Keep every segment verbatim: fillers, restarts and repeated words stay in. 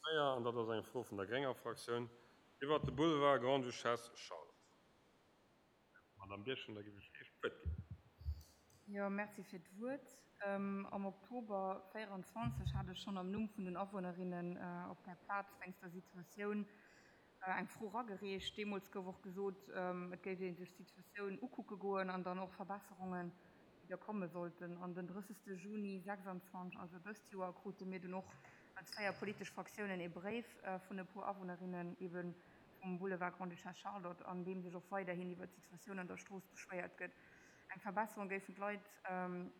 véier, an dat ass eng Fro vun der grénger Fraktioun iwwert de Boulevard Grande-Duchesse Charlotte. Madame Birchen, da géif ech Iech d'Wuert ginn. Jo, merci fir d'Wuert. Am Oktober véieranzwanzeg hat ech schonn am Numm vun den Awunnerinnen op där Plaz wéinst der Situatioun eng Fro eragereecht. Deemools gouf och gesot, et géif ee sech d'Situatioun ukucke goen an dann och Verbesserungen, déi da komme sollten. An den drëssegste Juni sechsanzwanzeg, also dëst Joer, krute mir dunn och als véier politesch Fraktiounen ee Bréif vun e puer Awunnerinnen ebe vum Boulevard Grande-Duchesse Charlotte, an deem sech och weiderhin iwwert d'Situatioun an der Strooss beschwéiert gëtt. Eng Verbesserung géifen d'Leit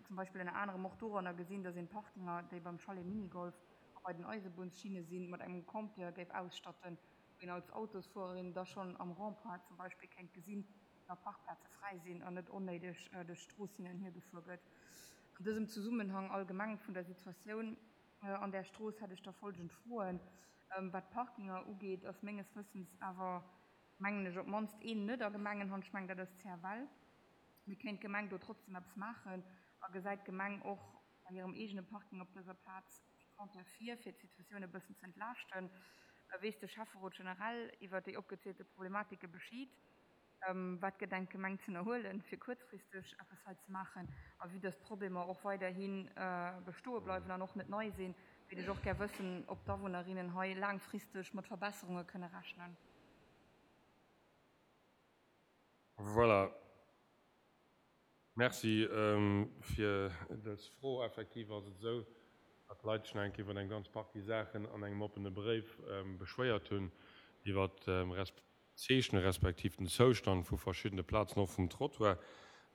zum Beispill ënner anerem och doranner gesinn, datt een d'Parkinger, déi beim Chalet Minigolf a bei den Eisebunnschinne sinn, mat engem Compteur géif ausstatten, wou een als Autosfuererin da schonn am Rond-point zum Beispill kéint gesinn, ob nach Parkplaze fräi sinn an net onnéideg duerch d'Strooss hin an hier gefuer gëtt. An dësem Zesummenhang allgemeng vun der Situatioun an där Strooss hätt ech da folgend Froen. Wat d'Parkinger ugeet, ass menges Wëssens awer, mengen ech, op d'mannst een net a Gemengenhand. Ech mengen, dat ass d'C F L. Mee kéint d'Gemeng do trotzdem eppes maachen a gesäit d'Gemeng och bei hirem eegene Parking op dëser Plaz ee Compteur vir, fir d'Situatioun e bëssen ze entlaaschten? Weess de Schäfferot generell iwwer déi opgezielte Problematike Bescheed? Wat gedenkt d'Gemeng ze ënnerhuelen, fir kuerzfristeg eppes hei ze maachen? A vue dass d'Problemer och weiderhi bestoe bleiwen an och net nei sinn, wéilt ech och gär wëssen, ob d'Awunnerinnen hei laangfristeg mat Verbesserunge kënne rechnen. Voilà. Merci fir dës Fro. Effektiv ass et esou, datt d'Leit sech nach eng Kéier iwwer eng ganz Partie Saachen an engem oppene Bréif beschwéiert hunn, iwwer d'Zeechne respektiv den Zoustand vu verschiddene Plazen, och vum Trottoir.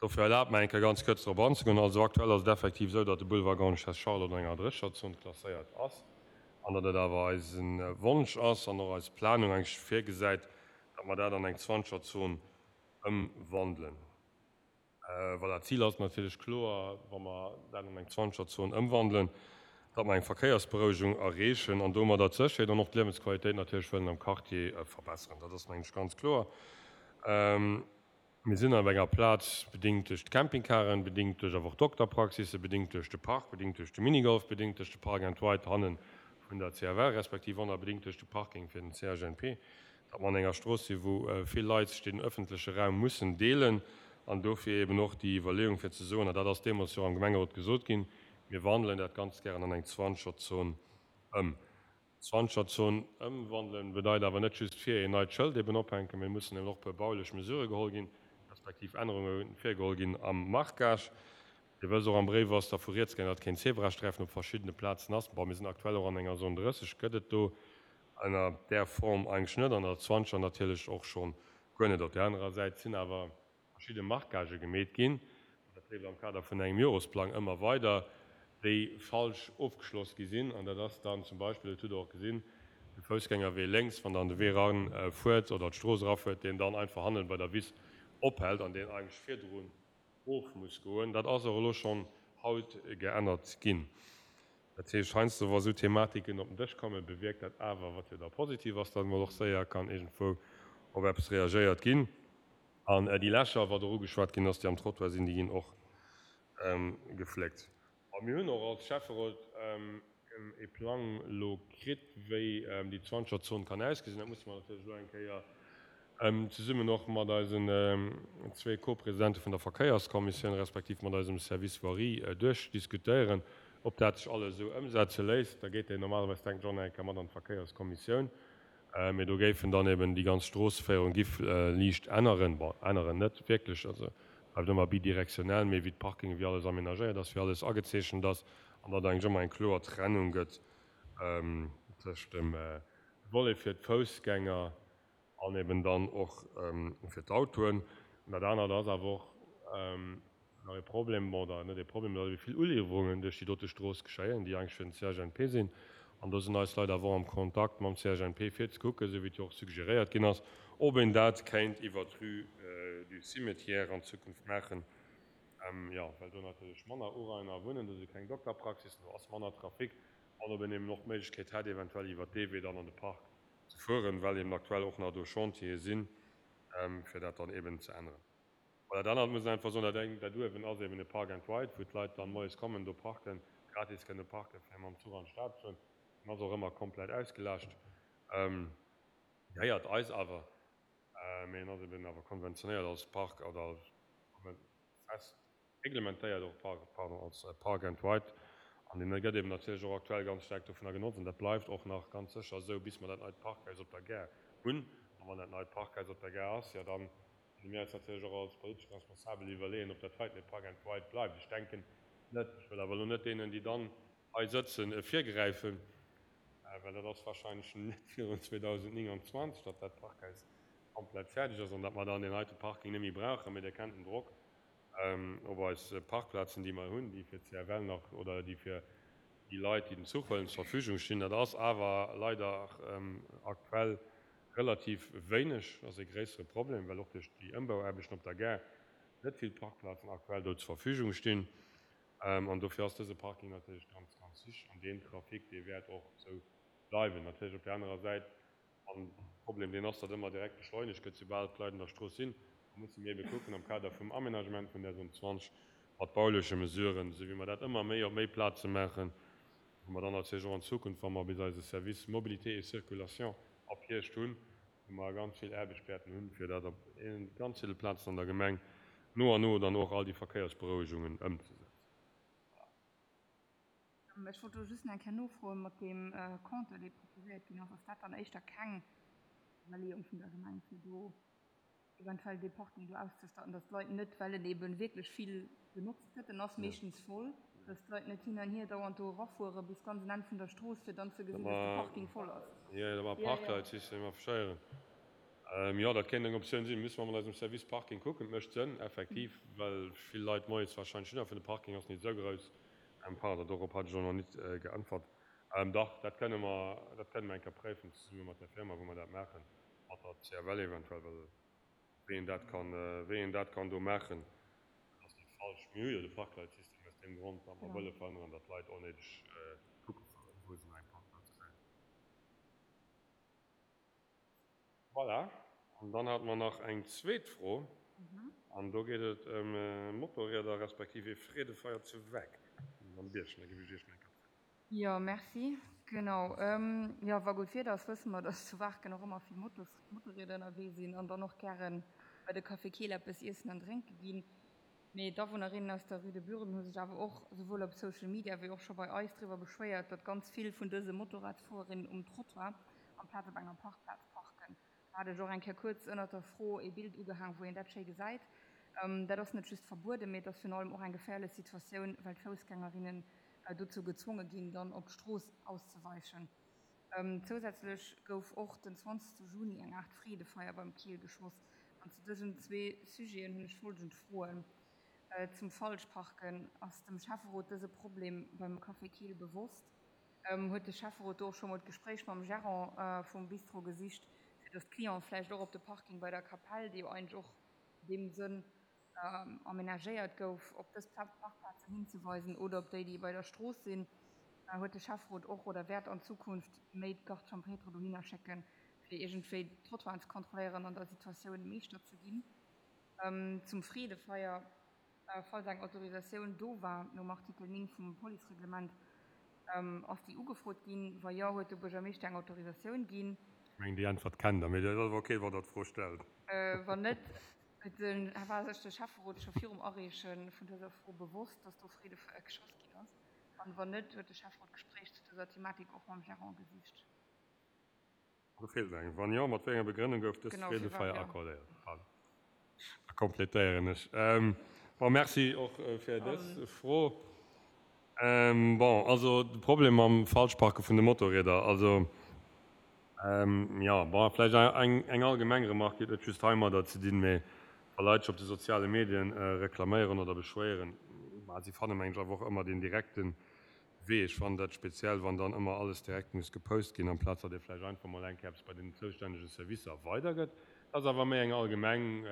Dofir erlaabt mer eng Kéier ganz kuerz drop anzegoen. Also aktuell ass et effektiv esou, datt de Boulevard Grande-Duchesse Charlotte an enger Drécherzon klasséiert ass an datt et awer eise Wonsch ass an och eis Planung eigentlech virgesäit, datt mer dat an eng Zwanzegerzon ëmwandelen. Voilà, d'Zil ass natierlech kloer, wa mer dat an eng Zwanzegerzon ëmwandelen, datt mer eng Verkéiersberouegung erreechen an domadder d'Sécherheet an och d'Liewensqualitéit natierlech wëllen am Quartier verbesseren. Dat ass, mengen ech, ganz kloer. Mir sinn op enger Plaz, bedingt duerch d'Campingcaren, bedingt duerch awer och Dokterpraxisse, bedingt duerch de Park, bedingt duerch de Minigolf, bedingt duerch de Park and Ride hanne vun der C F L, respektiv och nach bedingt duerch de Parking fir den C H N P, datt mer an enger Strooss sinn, wou vill Leit sech den öffentleche Raum mussen deelen, an dofir eben och déi Iwwerleeung fir ze soen, an dat ass deemools jo am Gemengerot gesot ginn, mir wandelen dat ganz gären an eng Zwanzegerzon ëm. Zwanzegerzon ëmwandelen bedeit awer net just fir een neit Schëld eben ophänken, mee mussen eben och puer baulech Mesurë geholl ginn, respektiv Ännerunge virgeholl ginn am Marquage. Dir wësst och, am Bréif ass dervu rieds gaangen, datt keen Zebrasträifen op verschiddene Plazen ass. Bon, mir sinn aktuell och an enger Zone drësseg, gëtt et do ënner där Form eigentlech net, an der Zwanzeger natierlech och schonn guer net. Op där anerer Säit sinn awer verschidde Marquagë gemeet ginn, dat leeft am Kader vun engem Joresplang ëmmer weider, déi falsch ofgeschloss gi sinn. An dat ass dann zum Beispill, dat hutt Der och gesinn, de Foussgängerwee lénks, wann Der an de Wee eran fuert oder d'Strooss erafuert, deen dann einfach hannen bei der Wiss ophält an deen eigentlech virdrun of muss goen. Dat ass och elo schonn haut geännert ginn. Dat heescht, heiansdo, wa sou Thematiken op den Dësch kommen, bewierkt dat awer, wat jo da positiv ass, datt emol och séier kann iergendwou op eppes reagéiert ginn. An déi Lächer, wat och ugeschwat ginn ass, déi am Trottoir sinn, déi ginn och gefléckt. A mir hunn och als Schäfferot e Plang elo kritt, wéi déi Zwanzegerzon kann ausgesinn. Dat musse mer natierlech elo eng Kéier zesummen och mat eisen zwee Co-Presidente vun der Verkéierskommissioun respektiv mat eisem Service Voirie duerchdiskutéieren, ob dat sech alles esou ëmsetze léisst. Da geet deen normalerweis, denken ech, och nach eng Kéier mat an d'Verkéierskommissioun. Mee do géifen dann eben déi ganz Stroosseféierung giff liicht änneren. Bon, änneren net wierklech, also bleift ëmmer bidirektionell, mee wéi d'Parkinge, wéi alles amenagéiert ass, wéi alles agezeechent ass an datt eigentlech ëmmer eng kloer Trennung gëtt tëscht dem Volet fir d'Foussgänger an eben dann och fir d'Autoen. An dat anert ass awer och nach e Problem, bon, oder net e Problem, datt ebe vill Uliwwerungen duerch déi dote Strooss geschéien, déi eigentlech fir den C H N P sinn. An do sinn eis Leit awer och am Kontakt mam C H N P fir ze kucken, esou wéi et jo och suggeréiert ginn ass, ob een dat kéint iwwer d'Rue du Cimetière an Zukunft maachen, jo, well do natierlech manner Urainer wunnen, do si keng Dokterpraxissen, do ass manner Trafic, an ob een eben och d'Méiglechkeet hätt, eventuell iwwer dee Wee dann an de Park ze fueren, well eben aktuell och nach do Chantiere sinn, fir dat dann eben ze änneren. Voilà, dat anert muss een einfach soen, dat eng, dat uewen ass eben e Park and Ride, wou d'Leit dann moies kommen, do parken, gratis kënne parken, fir mam Zuch an d'Stad ze fueren. En ass och ëmmer komplett ausgelaascht. Gehéiert eis awer, mee en ass eben awer konventionéiert als Park oder fest reglementéiert och, pardon, als Park and Ride. An deen gëtt eben natierlech och aktuell ganz staark dovunner genotzt. An dat bleift och nach ganz sécher esou, bis mer dat neit Parkhaus op der Gare hunn. A wann dat neit Parkhaus op der Gare ass, jo dann kënne mir eis natierlech och als politesch Responsabel iwwerleeën, ob dat heiten e Park and Ride bleift. Ech denken net. Ech wëll awer elo net deenen, déi dann hei sëtzen, virgräifen, well dat ass wahrscheinlech net virun zweedausendnénganzwanzeg, datt dat Parkhaus komplett fäerdeg ass an datt mer dann deen heite Parking net méi brauchen. Mee Dir kennt den Drock op eis Parkplazen, déi mer hunn, déi fir d'C F L nach oder déi fir déi Leit, déi den Zuch huelen, zur Verfügung stinn. Dat ass awer leider aktuell relativ wéineg. Dat ass e gréissere Problem, well och duerch déi Ëmbauaarbechten op der Gare net vill Parkplazen aktuell do zur Verfügung stinn. An dofir ass dëse Parking natierlech ganz, ganz wichteg. An deen Trafic, dee wäert och esou bleiwen. Natierlech op där anerer Säit, an de Problem, deen ass, datt ëmmer direkt beschleunegt gëtt, soubal d'Leit an der Strooss sinn. Da musse mir ebe kucken am Kader vum Aménagement vun där Zone zwanzeg mat bauleche Mesuren, esou wéi mer dat ëmmer méi op méi Plaze maachen, wou mer dann natierlech och an Zukunft, wa mer bis eise Service Mobilité et Circulation ab Hierscht hunn, wou mer ganz vill Aarbecht wäerten hunn, fir dat op ganz ville Plazen an der Gemeng no an no dann och all déi Verkéiersberouegungen ëmzesetzen. Voilà. Ech wollt do just nach eng Kéier nofroen, mat deem Compteur, dee proposéiert ginn ass, ass dat dann éischter keng Iwwerleeung vun der Gemeng, fir do eventuell dee Parking do auszestatten, dass d'Leit net, well en eeben wierklech vill genotzt gëtt, en ass meeschtens voll, dass d'Leit net hin an hier dauernd do erafuere bis ganz un Enn vun der Strooss, fir dann ze gesinn, dass de Parking voll ass. Jo, da mer Parkleitsystem affichéieren. Jo, dat kéint eng Optioun sinn. Musse mer mat eisem Service Parking kucken. Et mécht Sënn, effektiv, well vill Leit moies warscheinlech hinnerfen. De Parking ass net esou grouss. Pardon, dorop hat ech och nach net geäntwert. Dach, dat kënne mer, dat kënne mer eng Kéier préifen, zesumme mat der Firma, wou mer dat maachen, mat der C F L eventuell, well wéi een dat kann, wéi een dat kann do maachen, dat ass net falsch. Mir hu jo de Parkleitsystem aus deem Grond, datt mer wëlle verhënneren, datt d'Leit onnéideg kucke fueren, wou se nach eng Parkplaz kréien. Voilà. An dann hate mer nach eng zweet Fro, an do geet et ëm Motorrieder respektiv ee Freedefeier zu Waarken. Madame Birchen, da géif ech Iech nach eng Kéier d'Wuert ginn. Jo, merci. Genau. Jo, wa gutt Wieder ass, wësse mer, dass zu Waarken och ëmmer vill Motos, Motorrieder ënnerwee sinn an dann och gäre bei de Café Keel eppes iessen an drénke ginn. Mee d'Awunnerinnen aus der Rue de Buren hu sech awer och souwuel op Social Media wéi och scho bei eis driwwer beschwéiert, datt ganz vill vun dëse Motorradsfuererinnen um Trottoir amplaz op enger Parkplaz parken. Do hat ech och eng Kéier kuerz ënnert der Fro ee Bild ugehaang, wou een dat schéi gesäit. Dat ass net just verbueden, mee et ass virun allem och eng geféierlech Situatioun, well d'Foussgängerinnen dozou gezwonge ginn, dann op d'Strooss auszeweichen. Zousätzlech gouf och den zwanzegste Juni eng Aart Freedefeier beim Keel geschoss. An zu dësen zwee Sujeten hunn ech folgend Froen. Zum Falschparken, Ass dem Schäfferot dëse Problem beim Café Keel bewosst? Huet de Schäfferot do och scho mol d'Gespréich mam Gerant vum Bistro gesicht, fir datt d'Clienten vläicht och op de Parking bei der Kapell, déi jo eigentlech och an deem Sënn amenagéiert gouf, op dës Parkplazen hinzeweisen oder op déi, déi bei der Strooss sinn? Huet de Schäfferot och oder wäert an Zukunft méi d'Garde champêtre dohinner schécken, fir iergendwéi d'Trottoiren ze kontrolléieren an der Situatioun Meeschter ze ginn? Zum Freedefeier, Falls eng Autorisatioun do war nom Artikel néng vum Policereglement, ass déi ugefrot ginn? Wa jo, huet de Buergermeeschter eng Autorisatioun ginn? Ech mengen, déi Äntwert kennt Der, mee et ass awer ok, wann Der d'Fro stellt. Wann net, huet de, war sech de Schäfferot scho virum Areeche vun dëser Fro bewosst, dass do Freedefeier geschoss ginn ass? An wann net, huet de Schäfferot d'Gespréich zu dëser Thematik och mam Gerant gesicht? Do feelt eng. Wann jo, mat wéi enger Begrënnung gouf dëst Genau, firwat, Freedefeier jo. accordéiert? Pardon, da kompletéieren ech. Bon, merci och fir dës Fro. Bon, also de Problem mam Falschparke vun de Motorrieder, also jo, bon, vläicht eng eng allgemeng Remark, déi huet net just heimadder ze dinn, mee wa Leit sech op de soziale Medien reklaméieren oder beschwéieren, bah, si fanne mengen ech awer och ëmmer deen direkte Wee. Ech fannen dat speziell, wann dann ëmmer alles direkt muss gepost ginn, amplaz datt ee vläicht einfach mol eng Kéier eppes bei den zoustännege Servicer weidergëtt. Dat ass awer méi eng allgemeng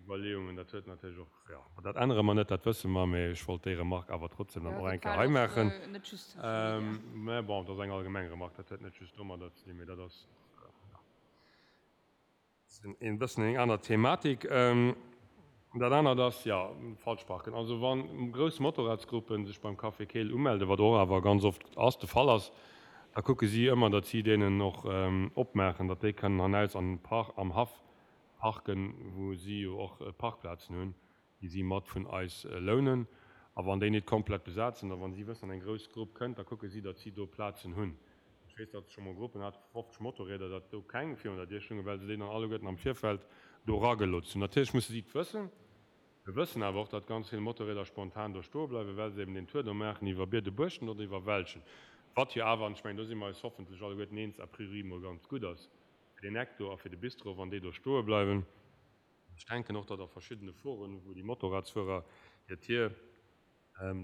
Iwwerleeung an dat huet natierlech och, jo, ma dat ännere mer net, dat wësse mer, mee ech wollt déi Remark awer trotzdem dann Jo, och eng dat Kéier war hei och maachen. net just Social Media. Mä bon, dat ass eng allgemeng Remark, dat huet net just domadder ze dinn, mee dat ass, jo, e bëssen eng aner Thematik. Dat anert ass, jo, Falschparken. Also wa grouss Motorradsgruppe sech beim Café Keel umelden, wat och awer ganz oft ass, de Fall ass, Da kucke si ëmmer, datt si deenen och opmaachen, datt déi kënnen hannaus an Park, am Haff parken, wou si jo och Parkplazen hunn, déi si mat vun eis lounen. A wann déi net komplett besat sinn, a wann si wëssen, datt eng grouss Grupp kënnt, da kucke si, datt si do Plazen hunn. Ech weess, datt scho mol Gruppen hat vu fofzeg Motorrieder, datt do keng virun der Dier stoungen, well se déi dann alleguerten am Virfeld do eragelooss hunn. Natierlech musse si et wëssen. Mir wëssen awer och, datt ganz vill Motorrieder spontan do stoe bleiwen, well se eben deen Tour do maachen iwwer Biedebuerchten oder iwwer Welschen, wat jo awer, an ech mengen, do si mer eis hoffentlech alleguerten eens, a priori mol ganz gutt ass fir deen Eck do a fir de Bistro, wann déi do stoe bleiwen. Ech denken och, datt a verschiddene Foren, wou déi Motorradsfuerer hir Tier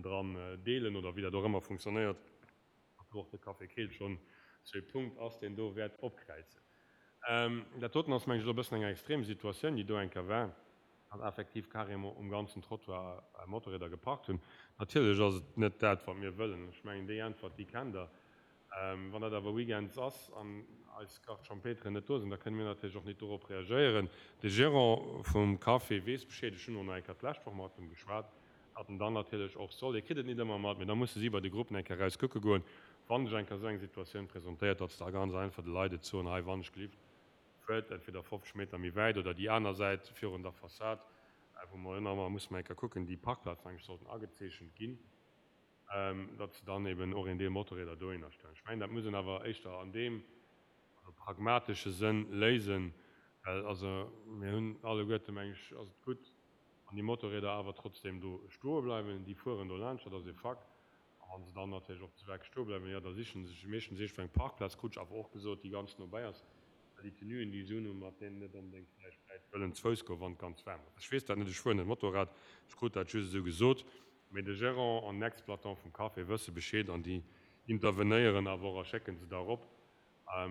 dran deelen oder wéi dat och ëmmer funktionéiert, datt do och de Café Keel schonn sou ee Punkt ass, deen do wäert opkräizen. Dat doten ass, mengen ech, elo e bëssen eng extrem Situatioun, déi do eng Kéier war, datt effektiv carrément um ganzen Trottoir Motorrieder geparkt hunn. Natierlech ass et net dat, wat mir wëllen. Ech mengen, déi Äntwert, déi kennt Der. Wann dat awer weekends ass an eis Gardes champêtren net do sinn, da kënne mir natierlech och net dorop reagéieren. De Gérant vum Café weess Bescheed. Ech hunn och nach eng Kéier d'lescht Woch mat em geschwat, datt en dann natierlech och soll, hie kritt et net ëmmer mat, mee da musse si bei de Gruppen eng Kéier eraus kucke goen, wann sech eng Kéier esou eng Situatioun presentéiert, datt se da ganz einfach de Leit et soen, hei, wann ech gelift, fuert entweder fofzeg Meter méi wäit oder déi aner Säit virun der Fassad, wou mer jo nach ëmmer, musse mer eng Kéier kucken, déi Parkplazen eigentlech sollten agezeechent ginn, datt se dann eben och een Deel Motorrieder dohinner stellen. Ech mengen, dat muss een awer éischter an deem, also pragmatesche Sënn léisen, well also mir hunn alleguerte, meng ech, ass et gutt, wann déi Motorrieder awer trotzdeem do stoe bleiwen. Déi fueren do laanscht, dat ass e Fakt. A wa se dann natierlech och ze wäit stoe bleiwen, jo, da siche se sech meeschtens iergendwou eng Parkplaz, krut ech awer och gesot, déi ganz nobäi ass. Well déi Tenuen, déi se unhunn, mat deenen net onbedéngt vläicht wäit wëllen ze Fouss goen, wann et ganz waarm ass. Ech weess dat net, ech fueren net Motorrad, ech krut dat just esou gesot. Mee de Gérant an den Exploitant vum Café wësse Bescheed an déi intervenéieren awer och a schécke se da erop.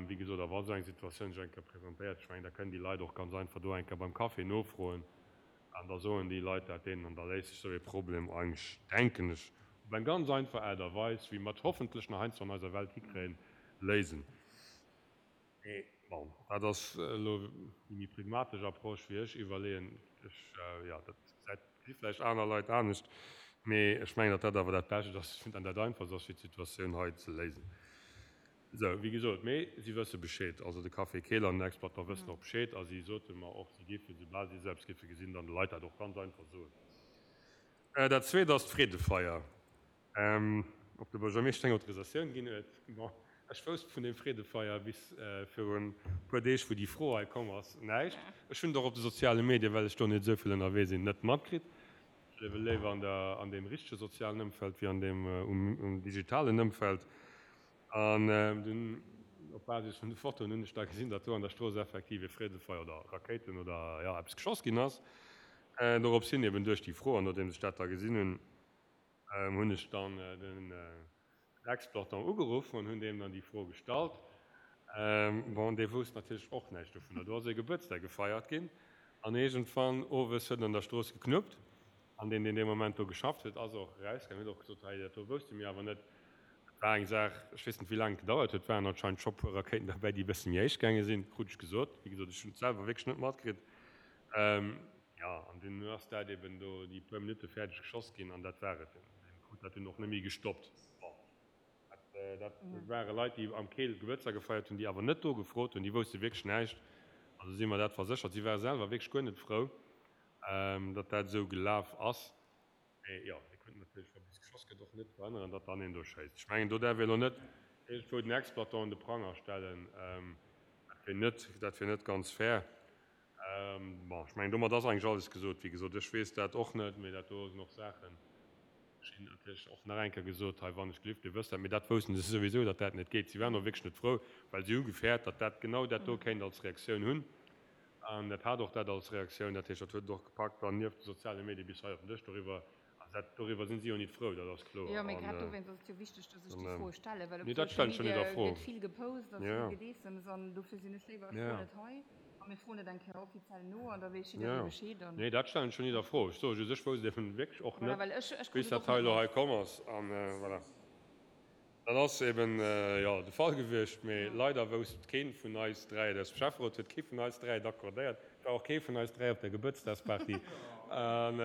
Wéi gesot, a wa sou eng Situatioun sech eng Kéier presentéiert, ech mengen, da kënnen déi Leit och ganz einfach do eng Kéier beim Café nofroen an da soen déi Leit dat deenen an da léist sech sou ee Problem eigentlech, denken ech, op eng ganz einfach Aart a Weis, wéi mer et hoffentlech nach heiansdo an eiser Welt hikréien, léisen. Mee bon, dat ass elo déi méi pragmatesch Approche, wéi ech iwwerleeën. Ech, jo, dat gesäit, gesi vläicht aner Leit anescht, mee ech mengen, datt dat awer dat Bescht ass an dat Einfachst ass, fir d'Situatioun hei ze léisen. Esou, wéi gesot, mee si wësse Bescheed, also de Café Keel an den Exploitant wëssen och Bescheed a si sote mer och, si géifen, soubal si esou eppes géife gesinn, dann de Leit dat och ganz einfach soen. Dat Zweet ass d'Freedefeier. Ob de Buergermeeschter eng Autorisatioun ginn huet? Bon, ech wousst vun deem Freedefeier bis virun e puer Deeg, wou déi Fro hei komm ass, näischt. Ech hunn et och op de soziale Medien, well ech do net esou vill ënnerwee sinn, net matkritt. Ech liewe léiwer an der, an deem richtege sozialen Ëmfeld wéi an deem um digitalen Ëmfeld. An dunn, op Basis vun de Fotoen, hunn ech da gesinn, datt do an der Strooss effektiv e Freedefeier oder Rakéiten oder, jo, eppes geschoss ginn ass. Dorops hin eben duerch déi Fro, an nodeems ech dat da gesinn hunn, hunn ech dann den Exploitant ugeruff an hunn deem dann déi Fro gestallt. Bon, dee wousst natierlech och näischt dovunner. Do ass ee Gebuertsdag gefeiert ginn an iergendwann owes huet en an der Strooss geknuppt an deen, deen dee Moment do geschafft huet, ass och erausgaangen, huet och gesot, Hei, dat do wousste mir awer net. Et war eng Saach, ech weess net, wéi laang et gedauert huet, et waren anscheinend scho puer Rakéiten derbäi, déi e bësse méi héich gaange sinn, krut ech gesot. Wéi gesot, ech hunn et selwer wierklech net matkritt. Jo, an dunn ass dat eben do déi puer Minutte fäerdeg geschoss ginn an dat war et. Deen krut dat dunn och net méi gestoppt. Bon, dat, dat ware Leit, déi am Keel Gebuertsdag gefeiert hunn, déi awer net do gefrot hunn, déi wousste wierklech näischt. Also si mer dat verséchert. Si ware selwer wierklech guer net frou, datt dat esou gelaf ass. Mee jo, mir kënnen natierlech, wa bis geschoss gëtt, och net verhënneren, datt dann een do schéisst. Ech mengen, do däerf ee elo net iergendwou den Exploitant un de Pranger stellen. Dat wier net, dat wier net ganz fair. Bon, ech mengen, domat ass eigentlech alles gesot. Wéi gesot, ech weess dat och net, mee dat do sinn och Saachen, ech hunn natierlech och nach eng Kéier gesot, hei, wann ech gelift, Dir wësst dat, mee dat woussten se souwisou, datt dat net geet. Si waren och wierklech net frou, well si hu gefäert, datt dat genau dat do kéint als Reaktioun hunn. An dat hat och dat als Reaktioun. Dat heescht, dat huet et och gepackt dann nieft de soziale Medie bis hei op den Dësch doriwwer. Also dat, doriwwer sinn si jo nit frou, dat ass kloer. Jo, mee An, grad dowéinst ass et jo wichteg, dass ech déi Froe stellen, well op nee, dat Social stellen ech jo nit Media a Fro. gëtt vill gepost a Ja, vill ja. Gedeessems an dofir sinn ech léiwer, ech Ja, froen ja. et hei a mir froen et eng Kéier offiziell no an da weess Ja, jidderee ja. Bescheed an. Nee, dat stellen ech jo nit a Fro. Ech soe just, ech wousst eben wierklech och Voilà, net, well ech, ech krut bis et dat och hei net elo hei mat. komm ass. An, voilà. Dat ass eben, jo, de Fall gewiescht. Mee leider wousst kee vun eis dräi et aus dem Schäfferot huet kee vun eis dräi et accordéiert. Et war och kee vun eis dräi op der Gebuertsdagsparty. An,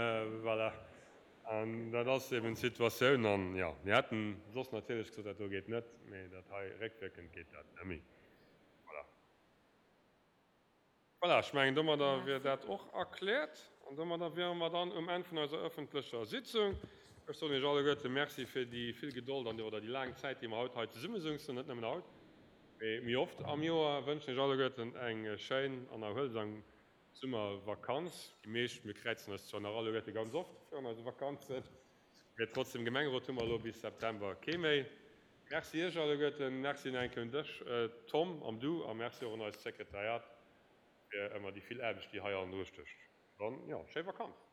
voilà. An dat ass eben d'Situatioun. An jo, mir hätten soss natierlech gesot, dat do geet net, mee dat hei réckwierkend geet dat net méi. Voilà. Voilà, ech mengen, domadder wier dat och erkläert. An domadder wiere mer dann um Enn vun eiser öffentlecher Sitzung. Ech soen Iech alleguerte Merci fir déi vill Gedold an déi, oder déi laang Zäit, déi mer haut hei zesummesouzen, net nëmmen haut, mee méi oft am Joer. Wënschen Iech alleguerten eng schéin an erhuelsam Summervakanz. Déi meescht, mir kräizen eis zwar nach alleguerte ganz oft virun eise Vakanzen, mee trotzdem, Gemengerot hu mer elo bis September kee méi. Merci Iech alleguerten, Merci nach eng Kéier un dech Tom an du a Merci och un eist Sekretariat fir ëmmer déi vill Aarbecht, déi hei hannendru stécht. Dann, jo, schéi Vakanz!